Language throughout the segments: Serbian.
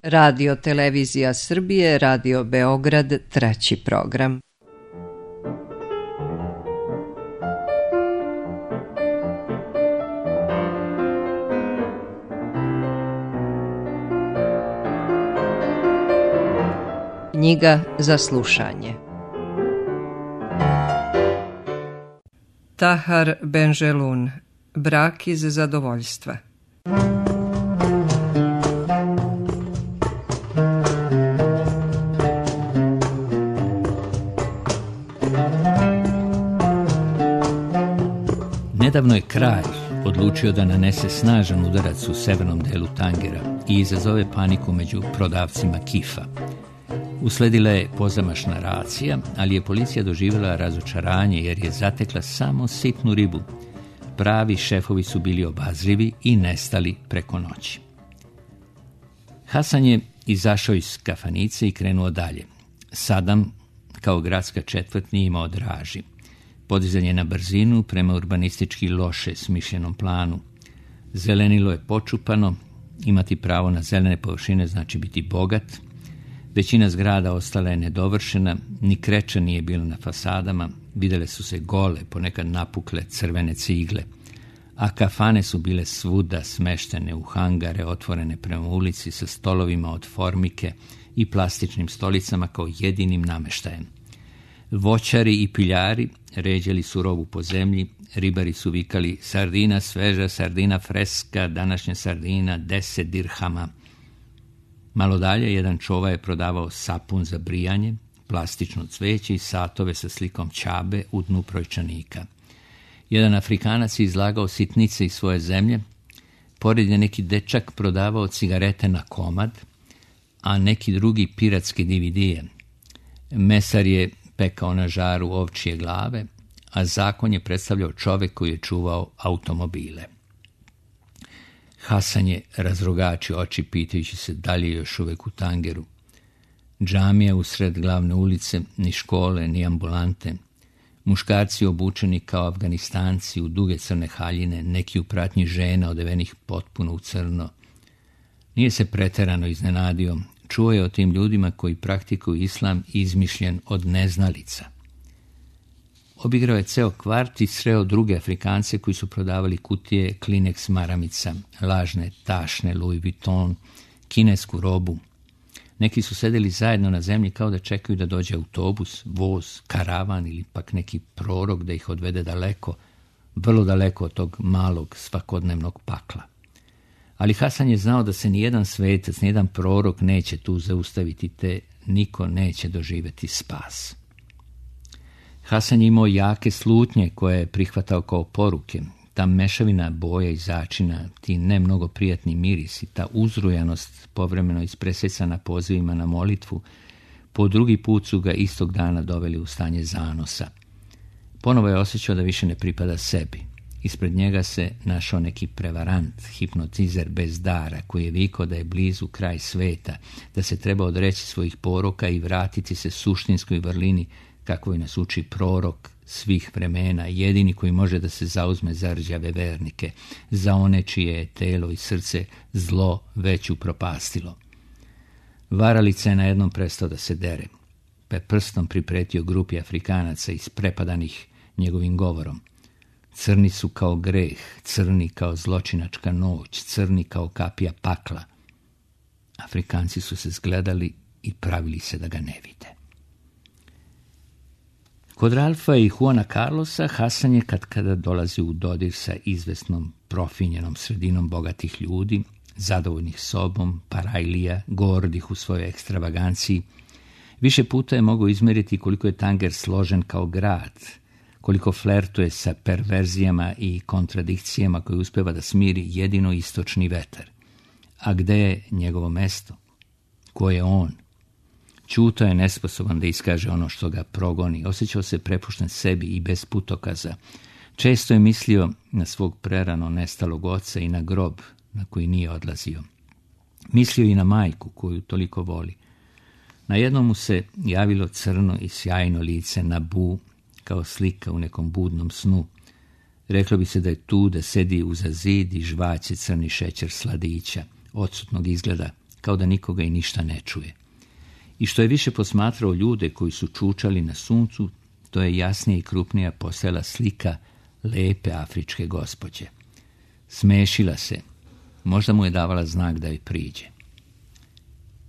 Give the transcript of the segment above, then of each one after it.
Radio Televizija Srbije, Radio Beograd, 3. program. Knjiga za slušanje. Tahar Benjelun, Brak iz zadovoljstva. Nedavno je kralj odlučio da nanese snažan udarac u severnom delu Tangera i izazove paniku među prodavcima kifa. Usledila je pozamašna racija, ali je policija doživjela razočaranje jer je zatekla samo sitnu ribu. Pravi šefovi su bili obazrivi i nestali preko noći. Hasan je izašao iz kafanice i krenuo dalje. Sadam, kao gradska četvrt, nije imao draži. Podizanje na brzinu prema urbanistički loše smišljenom planu. Zelenilo je počupano, imati pravo na zelene površine znači biti bogat. Većina zgrada ostala je nedovršena, ni kreča nije bilo na fasadama, vidjele su se gole, ponekad napukle crvene cigle, a kafane su bile svuda smeštene u hangare otvorene prema ulici sa stolovima od formike i plastičnim stolicama kao jedinim nameštajem. Voćari i piljari ređali su robu po zemlji, ribari su vikali sardina sveža, sardina freska, današnja sardina 10 dirhama. Malo dalje jedan čova je prodavao sapun za brijanje, plastično cveće i satove sa slikom Ćabe u dnu brojčanika. Jedan Afrikanac je izlagao sitnice iz svoje zemlje, pored je neki dečak prodavao cigarete na komad, a neki drugi piratske DVD-e. Mesar je pekao na žaru ovčije glave, a zakon je predstavljao čovjek koji je čuvao automobile. Hasan je razrogačio oči pitajući se da li je još uvijek u Tangeru. Džamija usred glavne ulice, ni škole, ni ambulante. Muškarci obučeni kao Afganistanci u duge crne haljine, neki u pratnji žena odevenih potpuno u crno. Nije se pretjerano iznenadio, čuo je o tim ljudima koji praktikuju islam izmišljen od neznalica. Obigrao je ceo kvart i sreo druge Afrikance koji su prodavali kutije Kleenex maramica, lažne tašne Louis Vuitton, kinesku robu. Neki su sedeli zajedno na zemlji kao da čekaju da dođe autobus, voz, karavan ili pak neki prorok da ih odvede daleko, vrlo daleko od tog malog svakodnevnog pakla. Ali Hasan je znao da se nijedan svetac, nijedan prorok neće tu zaustaviti, te niko neće doživjeti spas. Hasan je imao jake slutnje koje je prihvatao kao poruke. Ta mešavina boja i začina, ti ne mnogo prijatni mirisi, ta uzrujanost povremeno ispresecana pozivima na molitvu, po drugi put su ga istog dana doveli u stanje zanosa. Ponovo je osjećao da više ne pripada sebi. Ispred njega se našao neki prevarant, hipnotizer bez dara, koji je vikao da je blizu kraj sveta, da se treba odreći svojih poroka i vratiti se suštinskoj vrlini, kakvoj nas uči prorok svih vremena, jedini koji može da se zauzme za rđave vernike, za one čije je telo i srce zlo već upropastilo. Varalica je na jednom prestao da se dere, pa je prstom pripretio grupi Afrikanaca isprepadanih njegovim govorom. Crni su kao greh, crni kao zločinačka noć, crni kao kapija pakla. Afrikanci su se zgledali i pravili se da ga ne vide. Kod Ralfa i Juana Carlosa Hasan je kada dolazi u dodir sa izvesnom profinjenom sredinom bogatih ljudi, zadovoljnih sobom, parajlija, gordih u svojoj ekstravaganciji. Više puta je mogao izmeriti koliko je Tanger složen kao grad, koliko flertuje sa perverzijama i kontradikcijama koje uspeva da smiri jedino istočni vetar. A gde je njegovo mesto? Ko je on? Ćutao je nesposoban da iskaže ono što ga progoni. Osjećao se prepušten sebi i bez putokaza. Često je mislio na svog prerano nestalog oca i na grob na koji nije odlazio. Mislio i na majku koju toliko voli. Na jednom mu se javilo crno i sjajno lice Nabu, kao slika u nekom budnom snu. Reklo bi se da je tu, da sedi uza zid i žvaće crni šećer sladića, odsutnog izgleda, kao da nikoga i ništa ne čuje. I što je više posmatrao ljude koji su čučali na suncu, to je jasnije i krupnija postajala slika lepe afričke gospođe. Smešila se, možda mu je davala znak da joj priđe.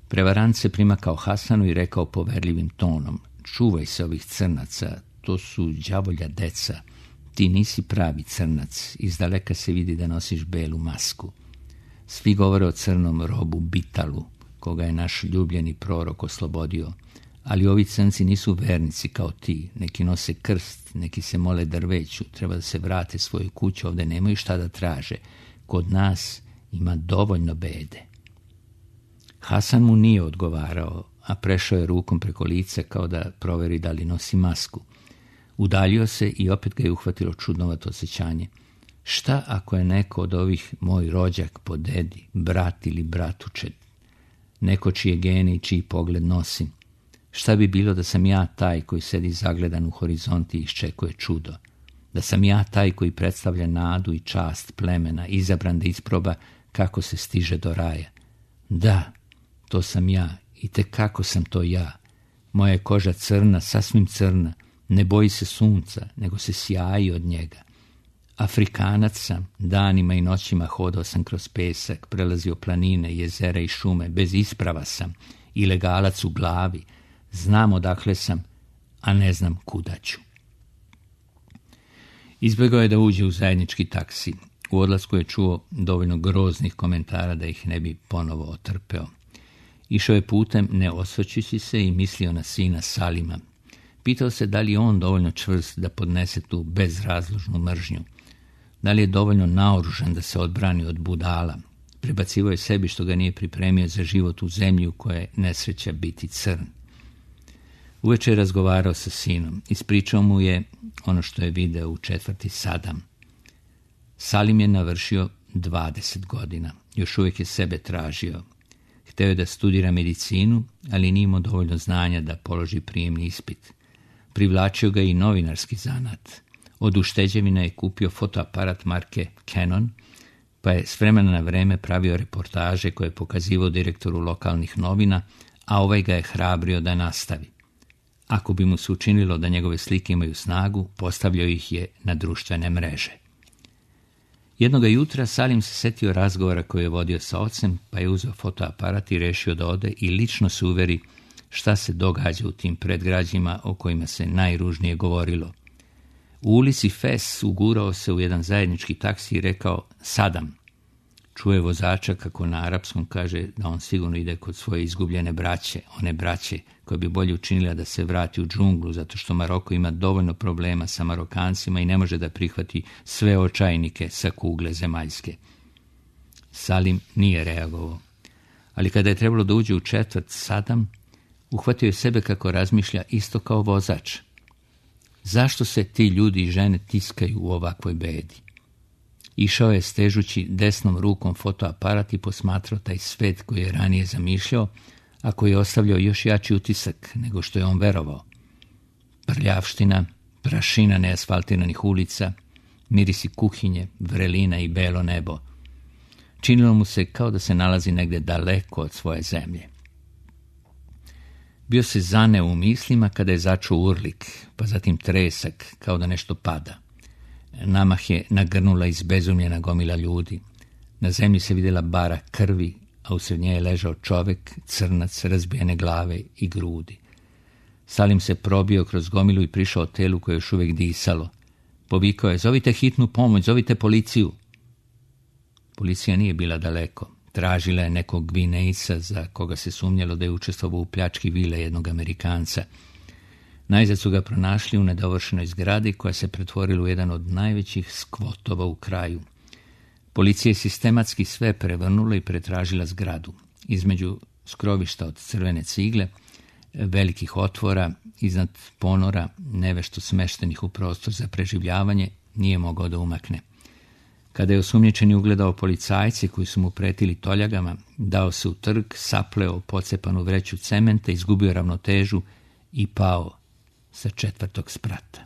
Prevarant se primakao Hasanu i rekao poverljivim tonom: čuvaj se ovih crnaca, to su đavolja deca. Ti nisi pravi crnac, izdaleka se vidi da nosiš belu masku. Svi govore o crnom robu Bitalu, koga je naš ljubljeni prorok oslobodio, ali ovi crnci nisu vernici kao ti, neki nose krst, neki se mole drveću, treba da se vrate svoju kuću, ovde nemaju šta da traže. Kod nas ima dovoljno bede. Hasan mu nije odgovarao, a prešao je rukom preko lica kao da proveri da li nosi masku. Udaljio se i opet ga je uhvatilo čudnovato osjećanje. Šta ako je neko od ovih moj rođak po dedi, brat ili bratučet, neko čije gene i čiji pogled nosim? Šta bi bilo da sam ja taj koji sedi zagledan u horizonti i iščekuje čudo? Da sam ja taj koji predstavlja nadu i čast plemena, izabran da isproba kako se stiže do raja? Da, to sam ja i tekako sam to ja. Moja je koža crna, sasvim crna, ne boji se sunca, nego se sjaji od njega. Afrikanac sam, danima i noćima hodao sam kroz pesak, prelazio planine, jezera i šume, bez isprava sam, ilegalac u glavi, znam odakle sam, a ne znam kuda ću. Izbjegao je da uđe u zajednički taksi. U odlasku je čuo dovoljno groznih komentara da ih ne bi ponovo otrpeo. Išao je putem ne osvrćući se i mislio na sina Salima. Pitao se da li je on dovoljno čvrst da podnese tu bezrazložnu mržnju. Da li je dovoljno naoružan da se odbrani od budala. Prebacivo je sebi što ga nije pripremio za život u zemlji u kojoj je nesreća biti crn. Uveče je razgovarao sa sinom. Ispričao mu je ono što je video u četvrti Sadam. Salim je navršio 20 godina. Još uvijek je sebe tražio. Hteo je da studira medicinu, ali nije imao dovoljno znanja da položi prijemni ispit. Privlačio ga i novinarski zanat. Od ušteđevina je kupio fotoaparat marke Canon, pa je s vremena na vreme pravio reportaže koje je pokazivao direktoru lokalnih novina, a ovaj ga je hrabrio da nastavi. Ako bi mu se učinilo da njegove slike imaju snagu, postavljao ih je na društvene mreže. Jednoga jutra Salim se setio razgovora koji je vodio sa ocem, pa je uzeo fotoaparat i rešio da ode i lično se uveri šta se događa u tim predgrađima o kojima se najružnije govorilo. U ulici Fes ugurao se u jedan zajednički taksi i rekao Sadam. Čuje vozača kako na arapskom kaže da on sigurno ide kod svoje izgubljene braće, one braće koje bi bolje učinila da se vrati u džunglu zato što Maroko ima dovoljno problema sa Marokancima i ne može da prihvati sve očajnike sa kugle zemaljske. Salim nije reagovao, ali kada je trebalo da uđe u četvrt Sadam, uhvatio je sebe kako razmišlja isto kao vozač. Zašto se ti ljudi i žene tiskaju u ovakvoj bedi? Išao je stežući desnom rukom fotoaparat i posmatrao taj svet koji je ranije zamišljao, a koji je ostavljao još jači utisak nego što je on verovao. Prljavština, prašina neasfaltiranih ulica, mirisi kuhinje, vrelina i belo nebo. Činilo mu se kao da se nalazi negde daleko od svoje zemlje. Bio se zaneo u mislima kada je začuo urlik, pa zatim tresak, kao da nešto pada. Namah je nagrnula izbezumljena gomila ljudi. Na zemlji se vidjela bara krvi, a usred nje je ležao čovek, crnac, razbijene glave i grudi. Salim se probio kroz gomilu i prišao telu koje još uvijek disalo. Povikao je, zovite hitnu pomoć, zovite policiju. Policija nije bila daleko. Tražila je nekog Gvinejca za koga se sumnjalo da je učestvovao u pljački vile jednog Amerikanca. Najzad su ga pronašli u nedovršenoj zgradi koja se pretvorila u jedan od najvećih skvotova u kraju. Policija je sistematski sve prevrnula i pretražila zgradu. Između skrovišta od crvene cigle, velikih otvora, iznad ponora, nevešto smeštenih u prostor za preživljavanje, nije mogao da umakne. Kada je osumnjičeni ugledao policajci koji su mu pretili toljagama, dao se u trg, sapleo pocepanu vreću cementa, izgubio ravnotežu i pao sa 4. sprata.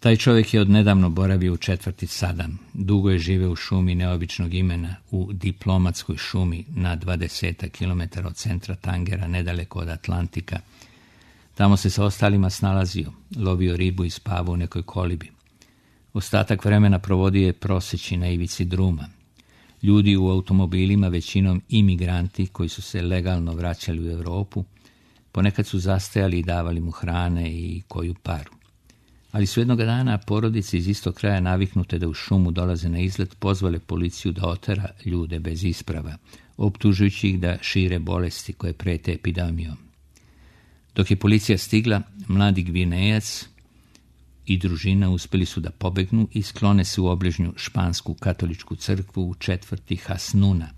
Taj čovjek je odnedavno boravio u četvrti Sadam. Dugo je živeo u šumi neobičnog imena, u diplomatskoj šumi na 20 km od centra Tangera, nedaleko od Atlantika. Tamo se sa ostalima snalazio, lovio ribu i spavao u nekoj kolibi. Ostatak vremena provodio je proseći na ivici druma. Ljudi u automobilima, većinom imigranti koji su se legalno vraćali u Europu, ponekad su zastajali i davali mu hrane i koju paru. Ali su jednoga dana porodice iz istog kraja, naviknute da u šumu dolaze na izlet, pozvale policiju da otera ljude bez isprava, optužujući ih da šire bolesti koje prete epidemijom. Dok je policija stigla, mladi Gvinejac i družina uspjeli su da pobegnu i sklone se u obližnju špansku katoličku crkvu u četvrti Hasnuna.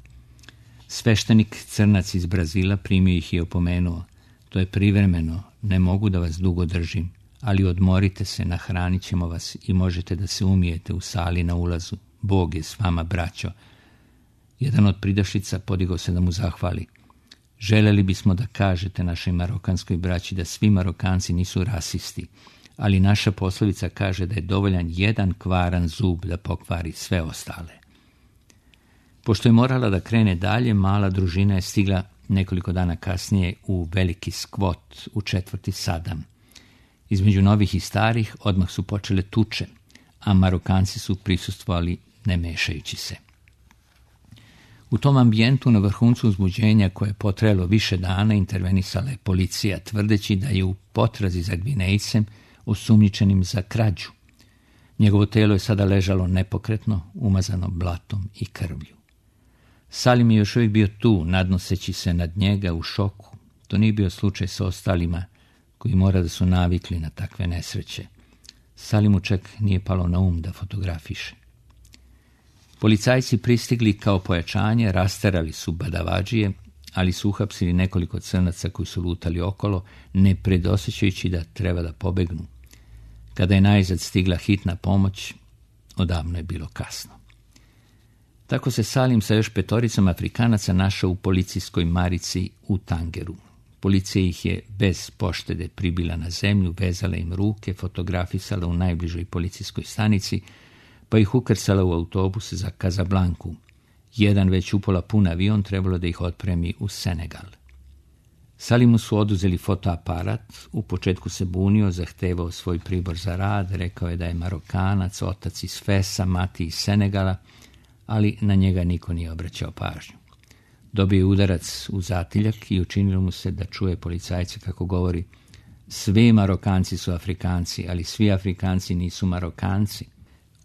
Sveštenik crnac iz Brazila primio ih i opomenuo: to je privremeno, ne mogu da vas dugo držim, ali odmorite se, nahranit ćemo vas i možete da se umijete u sali na ulazu. Bog je s vama, braćo. Jedan od pridošlica podigao se da mu zahvali. Želeli bismo da kažete našoj marokanskoj braći da svi Marokanci nisu rasisti, ali naša poslovica kaže da je dovoljan jedan kvaran zub da pokvari sve ostale. Pošto je morala da krene dalje, mala družina je stigla nekoliko dana kasnije u veliki Skvot u četvrti Sadam. Između novih i starih odmah su počele tuče, a Marokanci su prisustvovali ne mešajući se. U tom ambijentu, na vrhuncu uzbuđenja koje je potrajalo više dana, intervenisala je policija, tvrdeći da je u potrazi za Gvinejcem osumnjičenim za krađu. Njegovo telo je sada ležalo nepokretno, umazano blatom i krvlju. Salim je još uvijek bio tu, nadnoseći se nad njega u šoku. To nije bio slučaj sa ostalima, koji mora da su navikli na takve nesreće. Salimu čak nije palo na da fotografiše. Policajci pristigli kao pojačanje, rasterali su badavadžije, ali su uhapsili nekoliko crnaca koji su lutali okolo, ne predosjećajući da treba da pobegnu. Kada je najzad stigla hitna pomoć, odavno je bilo kasno. Tako se Salim sa još 5 Afrikanaca našao u policijskoj marici u Tangeru. Policija ih je bez poštede pribila na zemlju, vezala im ruke, fotografisala u najbližoj policijskoj stanici, pa ih ukrcala u autobus za Kazablanku. Jedan već upola pun avion trebalo da ih otpremi u Senegal. Salimu su oduzeli fotoaparat, u početku se bunio, zahtevao svoj pribor za rad, rekao je da je Marokanac, otac iz Fesa, mati iz Senegala, ali na njega niko nije obraćao pažnju. Dobio je udarac u zatiljak i učinilo mu se da čuje policajce kako govori: svi Marokanci su Afrikanci, ali svi Afrikanci nisu Marokanci.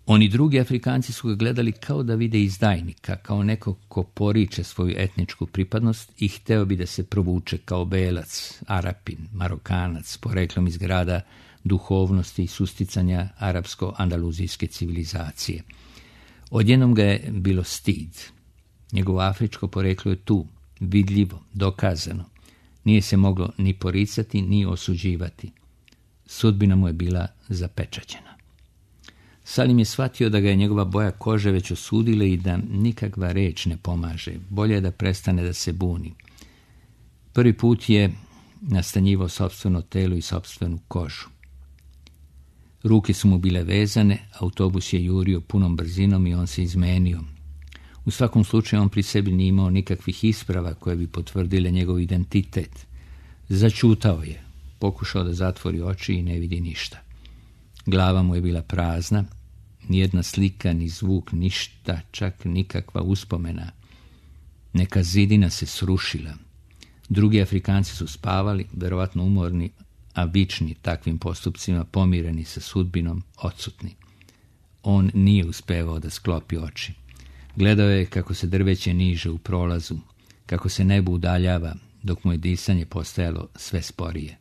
Oni drugi Afrikanci su ga gledali kao da vide izdajnika, kao nekog ko poriče svoju etničku pripadnost i hteo bi da se provuče kao belac, Arapin, Marokanac, poreklom iz grada duhovnosti i susticanja arapsko-andaluzijske civilizacije. Odjednom ga je bilo stid. Njegovo afričko poreklo je tu, vidljivo, dokazano. Nije se moglo ni poricati, ni osuđivati. Sudbina mu je bila zapečaćena. Salim je shvatio da ga je njegova boja kože već osudile i da nikakva reč ne pomaže. Bolje je da prestane da se buni. Prvi put je nastanjivao sopstveno telo i sopstvenu kožu. Ruke su mu bile vezane, autobus je jurio punom brzinom i on se izmenio. U svakom slučaju on pri sebi nije imao nikakvih isprava koje bi potvrdile njegov identitet. Začutao je, pokušao da zatvori oči i ne vidi ništa. Glava mu je bila prazna, nijedna slika, ni zvuk, ništa, čak nikakva uspomena. Neka zidina se srušila. Drugi Afrikanci su spavali, verovatno umorni, a vični takvim postupcima, pomireni sa sudbinom, odsutni. On nije uspevao da sklopi oči. Gledao je kako se drveće niže u prolazu, kako se nebo udaljava, dok mu je disanje postajalo sve sporije.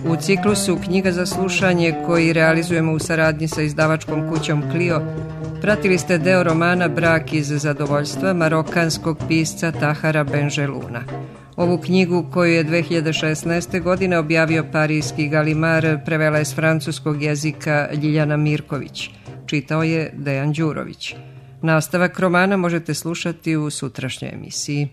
U ciklusu Knjiga za slušanje, koji realizujemo u saradnji sa izdavačkom kućom Clio, pratili ste deo romana Brak iz zadovoljstva marokanskog pisca Tahara Benjeluna. Ovu knjigu, koju je 2016. godine objavio parijski Galimar, prevela je s francuskog jezika Ljiljana Mirković. Čitao je Dejan Đurović. Nastavak romana možete slušati u sutrašnjoj emisiji.